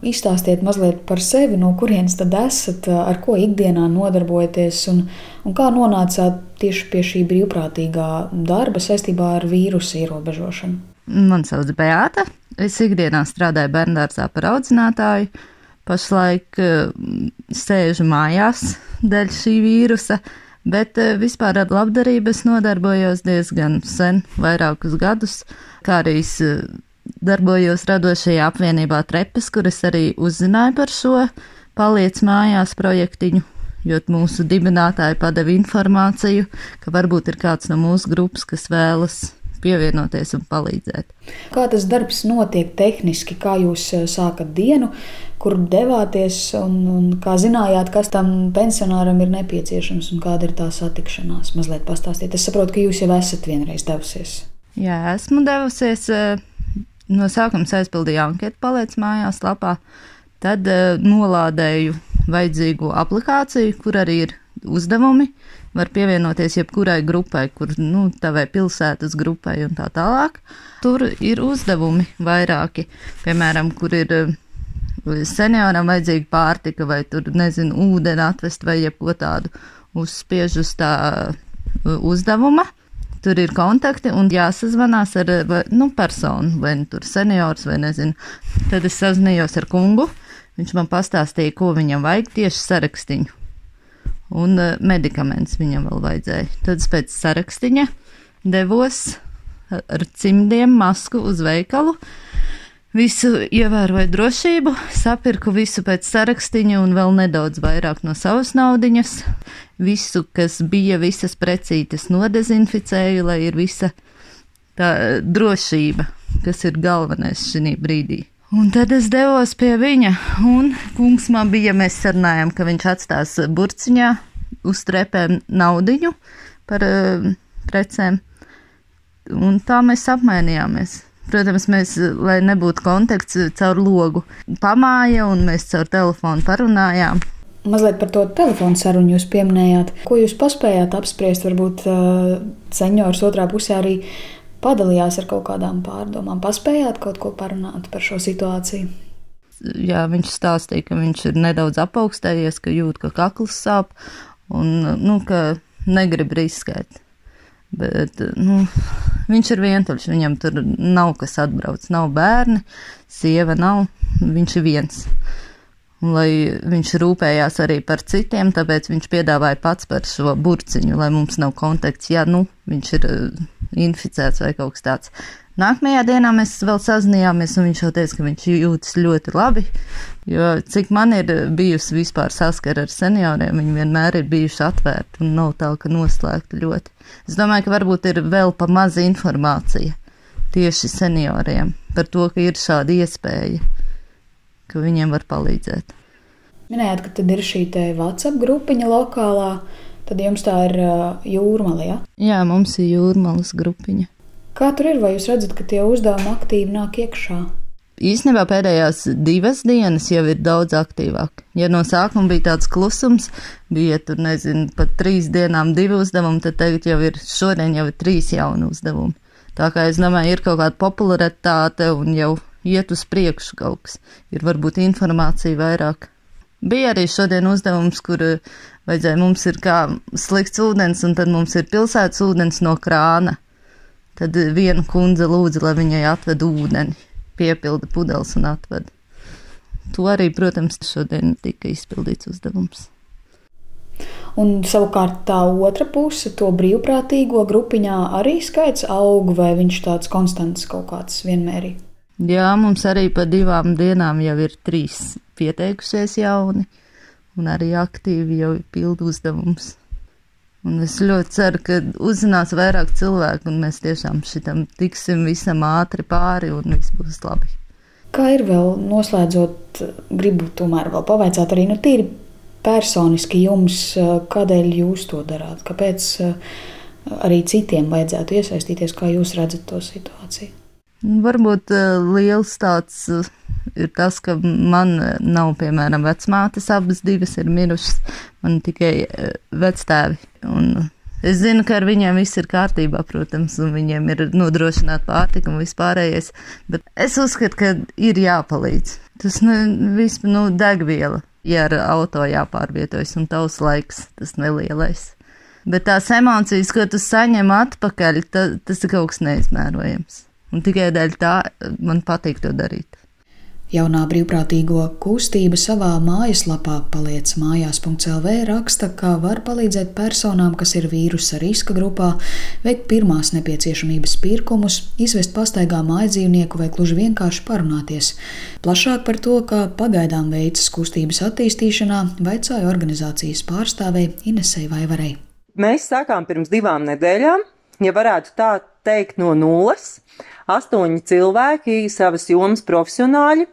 Izstāstiet mazliet par sevi, no kurienes tad esat, ar ko ikdienā nodarbojaties un kā nonācāt tieši pie šī brīvprātīgā darba saistībā ar vīrusu ierobežošanu. Mani sauc Beāta. Es ikdienā strādāju bērndārzā par audzinātāju. Pašlaik sēžu mājās dēļ šī vīrusa, bet vispār ar labdarību es nodarbojos diezgan sen, vairākus gadus, kā arī darbojos radošajā apvienībā Trepes, kur es arī uzzināju par šo Paliec mājās projektiņu, jo mūsu dibinātāji padeva informāciju, ka varbūt ir kāds no mūsu grupas, kas vēlas pievienoties un palīdzēt. Kā tas darbs notiek tehniski, kā jūs sākat dienu, kur devāties un kā zinājāt, kas tam pensionāram ir nepieciešams un kāda ir tā satikšanās? Mazliet pastāstiet. Es saprotu, ka jūs jau esat vienreiz devusies. Jā, esmu devusies. No sākuma aizpildīju anketu Paliec mājās lapā, tad nolādēju vajadzīgo aplikāciju, kur arī ir uzdevumi. Var pievienoties jebkurai grupai, kur tavai pilsētas grupai un tā tālāk. Tur ir uzdevumi vairāki, piemēram, kur ir senioram vajadzīga pārtika vai tur, ūdeni atvest vai jebko tādu uzspiež uz tā uzdevuma. Tur ir kontakti un jāsazvanās ar personu, vai tur seniors, vai nezinu. Tad es sazinājos ar kungu, viņš man pastāstīja, ko viņam vajag, tieši sarakstiņu. Un medikaments viņam vēl vajadzēja. Tad pēc sarakstiņa devos ar cimdiem masku uz veikalu. Visu ievēroju drošību, sapirku visu pēc sarakstiņa un vēl nedaudz vairāk no savas naudiņas. Visu, kas bija, visas precītes nodezinficēju, lai ir visa tā drošība, kas ir galvenais šī brīdī. Un tad es devos pie viņa, un kungs man bija, mēs sarunājām, ka viņš atstās burciņā uz Trepēm naudiņu par precēm. Un tā mēs apmainījāmies. Protams, mēs, lai nebūtu kontakts, caur logu pamāja un mēs caur telefonu parunājām. Mazliet par to telefonu sarunu jūs pieminējāt. Ko jūs paspējāt apspriest? Varbūt seniors otrā pusē arī padalījās ar kaut kādām pārdomām. Paspējāt kaut ko parunāt par šo situāciju? Jā, viņš stāstīja, ka viņš ir nedaudz apaugstējies, ka jūt, ka kakls sāp un, ka negrib riskēt. Bet, viņš ir vientuļš, viņam tur nav kas atbrauc, nav bērni, sieva nav, viņš ir viens. Un, lai viņš rūpējās arī par citiem, tāpēc viņš piedāvāja pats par šo burciņu, lai mums nav kontakts, ja viņš ir inficēts vai kaut kas tāds. Nākamajā dienā mēs vēl sazinājāmies, un viņš jau teica, ka viņš jūtas ļoti labi, jo cik man ir bijusi vispār saskara ar senioriem, viņi vienmēr ir bijuši atvērti un nav tā, ka noslēgti ļoti. Es domāju, ka varbūt ir vēl pa maza informācija tieši senioriem par to, ka ir šāda iespēja, ka viņiem var palīdzēt. Minējāt, ka tad ir šī te WhatsApp grupiņa lokālā, tad jums tā ir Jūrmala, ja? Jā, mums ir Jūrmalas grupiņa. Kā tur ir, vai jūs redzat, ka tie uzdevumi aktīvi nāk iekšā? Īstenībā pēdējās 2 dienas jau ir daudz aktīvāk. Ja no sākuma bija tāds klusums, bija tur, pat 3 dienām 2 uzdevumi, tad tagad šodien jau ir 3 jauni uzdevumi. Tā kā es domāju, ir kaut kāda popularitāte un jau iet uz priekšu kaut kas. Ir varbūt informācija vairāk. Bija arī šodien uzdevums, kur vajadzēja, mums ir kā slikts ūdens, un tad mums ir pilsētas ūdens no krāna. Tad viena kundze lūdza, lai viņai atved ūdeni, piepilda pudeles un atved. To arī, protams, šodien tika izpildīts uzdevums. Un savukārt tā otra puse, to brīvprātīgo grupiņā arī skaits aug, vai viņš tāds konstants kaut kāds vienmērīgi? Jā, mums arī pa 2 dienām jau ir 3 pieteikušies jauni, un arī aktīvi jau pilda uzdevums. Un es ļoti ceru, ka uzzinās vairāk cilvēku, un mēs tiešām šitam tiksim visam ātri pāri, un viss būs labi. Kā ir vēl noslēdzot, gribu tomēr vēl pavaicāt arī, tīri personiski jums, kādēļ jūs to darāt? Kāpēc arī citiem vajadzētu iesaistīties, kā jūs redzat to situāciju? Varbūt liels tāds ir tas, ka man nav, piemēram, vecmātes, abas 2 ir mirušas, man tikai vectēvi. Un Es zinu, ka ar viņiem viss ir kārtībā, protams, un viņiem ir nodrošināta pārtika un vispārējais, bet es uzskatu, ka ir jāpalīdz. Tas degviela, ja ar auto jāpārvietojas un tavs laiks, tas nelielais. Bet tās emocijas, ko tu saņem atpakaļ, tas ir kaut kas neizmērojams. Un tikai dēļ tā man patīk to darīt. Jaunā brīvprātīgo kustība savā mājaslapā paliec mājās.lv raksta, ka var palīdzēt personām, kas ir vīrusa riska grupā, veikt pirmās nepieciešamības pirkumus, izvest pastaigā mājdzīvnieku vai gluži vienkārši parunāties. Plašāk par to, kā pagaidām veicas kustības attīstīšanā, vaicāja organizācijas pārstāvei Inesei Vaivarei. Mēs sākām pirms 2 nedēļām, ja varētu tā teikt, no nulles. 8 cilvēki, savas jomas profesionāļi.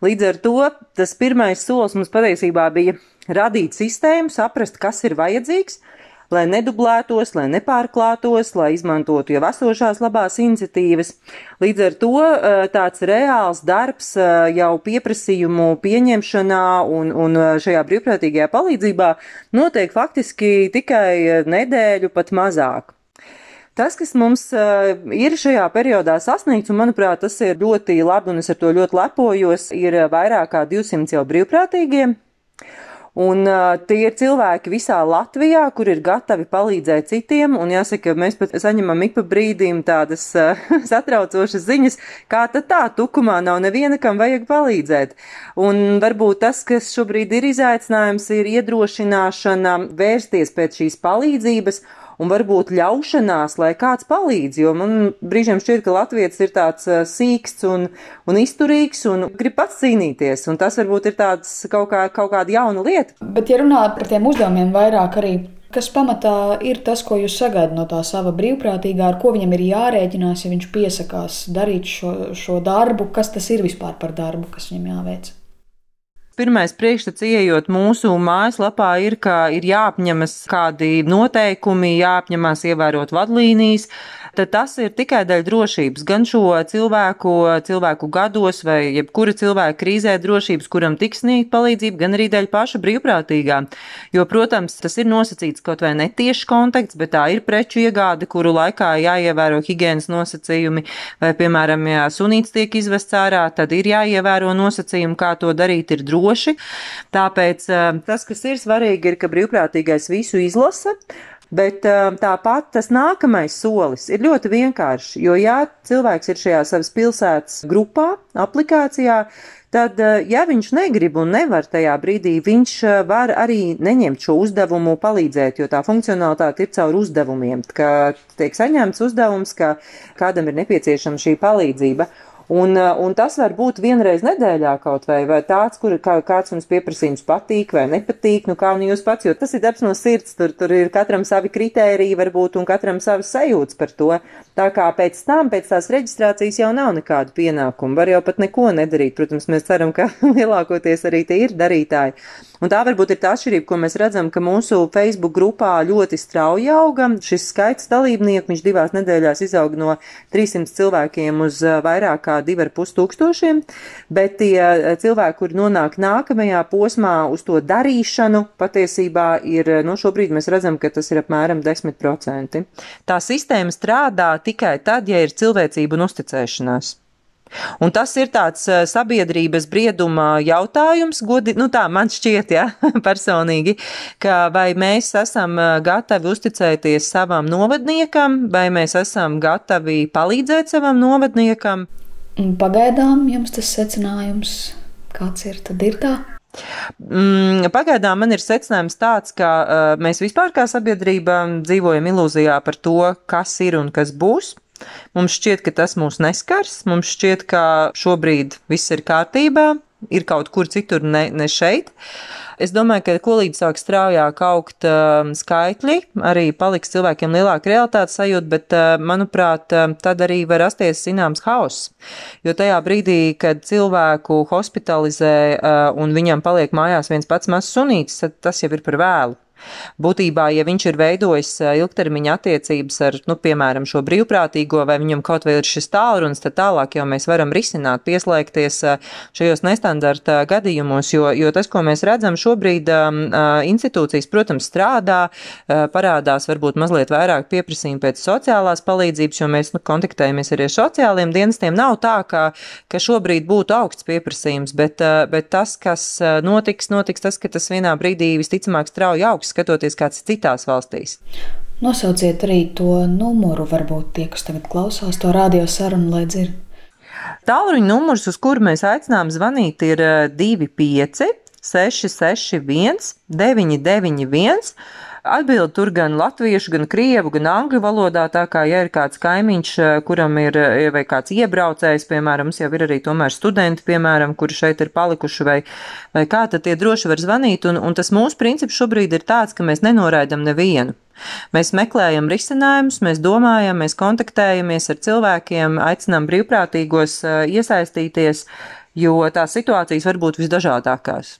Līdz ar to tas pirmais solis mums patiesībā bija radīt sistēmu, saprast, kas ir vajadzīgs, lai nedublētos, lai nepārklātos, lai izmantotu jau esošās labās iniciatīvas. Līdz ar to tāds reāls darbs jau pieprasījumu pieņemšanā un šajā brīvprātīgajā palīdzībā notiek faktiski tikai nedēļu pat mazāk. Tas, kas mums ir šajā periodā sasniegts, un manuprāt, tas ir ļoti labi, un es ar to ļoti lepojos, ir vairāk kā 200 jau brīvprātīgie. Un tie ir cilvēki visā Latvijā, kur ir gatavi palīdzēt citiem, un jāsaka, mēs pat saņemam ik pa brīdim tādas satraucošas ziņas, kā tad tā tukumā nav neviena, kam vajag palīdzēt. Un varbūt tas, kas šobrīd ir izaicinājums, ir iedrošināšana vērsties pēc šīs palīdzības, un varbūt ļaušanās, lai kāds palīdz, jo man brīžiem šķiet, ka latvietis ir tāds sīksts un izturīgs un grib pats cīnīties, un tas varbūt ir tāds kaut kāda jauna lieta. Bet ja runā par tiem uzdevumiem vairāk arī, kas pamatā ir tas, ko jūs sagaidat no tā sava brīvprātīgā, ar ko viņam ir jārēķinās, ja viņš piesakās darīt šo darbu, kas tas ir vispār par darbu, kas viņam jāveic? Pirmais priekšstats ieejot mūsu mājaslapā ir, ka ir jāapņemas kādi noteikumi, jāapņemās ievērot vadlīnijas, tad tas ir tikai dēļ drošības, gan šo cilvēku gados vai jebkura cilvēka krīzē drošības, kuram tiks sniegt palīdzību, gan arī dēļ paša brīvprātīgā. Jo, protams, tas ir nosacīts kaut vai netieši kontakts, bet tā ir preču iegāde, kuru laikā jāievēro higienas nosacījumi, vai, piemēram, ja sunīts tiek izvests ārā, tad ir jāievēro nosacījumi, kā to darīt ir droši. Tāpēc tas, kas ir svarīgi, ir, ka brīvprātīgais visu izlasa. Bet tāpat tas nākamais solis ir ļoti vienkāršs, jo ja cilvēks ir šajā savas pilsētas grupā, aplikācijā, tad, ja viņš negrib un nevar tajā brīdī, viņš var arī neņemt šo uzdevumu palīdzēt, jo tā funkcionalitāte ir caur uzdevumiem, ka tiek saņemts uzdevums, ka kādam ir nepieciešama šī palīdzība. Un tas var būt vienreiz nedēļā kaut vai tāds, kur kāds mums pieprasījums patīk vai nepatīk, kā nu jūs pats, jo tas ir darbs no sirds, tur ir katram savi kritēriji varbūt un katram savas sajūtas par to. Tā kā pēc tās reģistrācijas jau nav nekādu pienākumu, var jau pat neko nedarīt. Protams, mēs ceram, ka lielākoties arī tie ir darītāji. Un tā varbūt ir tā atšķirība, ko mēs redzam, ka mūsu Facebook grupā ļoti strauji auga. Šis skaits dalībnieku, viņš 2 nedēļās izauga no 300 cilvēkiem uz vairāk kā 2500, bet tie cilvēki, kuri nonāk nākamajā posmā uz to darīšanu, patiesībā ir, šobrīd mēs redzam, ka tas ir apmēram 10%. Tā sistēma strādā tikai tad, ja ir cilvēcība un uzticēšanās. Un tas ir tāds sabiedrības brieduma jautājums, tā man šķiet, personīgi, ka vai mēs esam gatavi uzticēties savam novadniekam, vai mēs esam gatavi palīdzēt savam novadniekam. Pagaidām jums tas secinājums, kāds ir, tad ir tā? Pagaidām man ir secinājums tāds, ka mēs vispār kā sabiedrība dzīvojam ilūzijā par to, kas ir un kas būs. Mums šķiet, ka tas mūs neskars, mums šķiet, ka šobrīd viss ir kārtībā, ir kaut kur citur, ne šeit. Es domāju, ka kolīdz sāk straujāk augt skaitļi, arī paliks cilvēkiem lielāka realitātes sajūta, bet, manuprāt, tad arī var rasties zināms hauss. Jo tajā brīdī, kad cilvēku hospitalizē un viņam paliek mājās viens pats mazs sunītis, tad tas jau ir par vēlu. Būtībā, ja viņš ir veidojis ilgtermiņa attiecības ar, piemēram, šo brīvprātīgo, vai viņam kaut vai ir šis tālrunis, tad tālāk jau mēs varam risināt, pieslēgties šajos nestandarta gadījumos, jo tas, ko mēs redzam šobrīd, institūcijas, protams, strādā, parādās varbūt mazliet vairāk pieprasījumi pēc sociālās palīdzības, jo mēs kontaktējamies arī ar sociāliem dienestiem. Nav tā, ka šobrīd būtu augsts pieprasījums, bet tas, kas notiks tas, ka tas vienā brīdī visticamāk strauji augs, skatoties kāds citās valstīs. Nosauciet arī to numuru, varbūt tie, kas tagad klausās to radio sarunu, lai dzird. Tālruņa numurs, uz kuru mēs aicinām zvanīt, ir 25 661 991. Atbild tur gan latviešu, gan krievu, gan angļu valodā, tā kā, ja ir kāds kaimiņš, kuram ir, vai kāds iebraucējs, piemēram, mums jau ir arī tomēr studenti, piemēram, kuri šeit ir palikuši, vai kā, tad tie droši var zvanīt, un tas mūsu princips šobrīd ir tāds, ka mēs nenoraidam nevienu. Mēs meklējam risinājumus, mēs domājam, mēs kontaktējamies ar cilvēkiem, aicinām brīvprātīgos iesaistīties, jo tās situācijas var būt visdažādākās.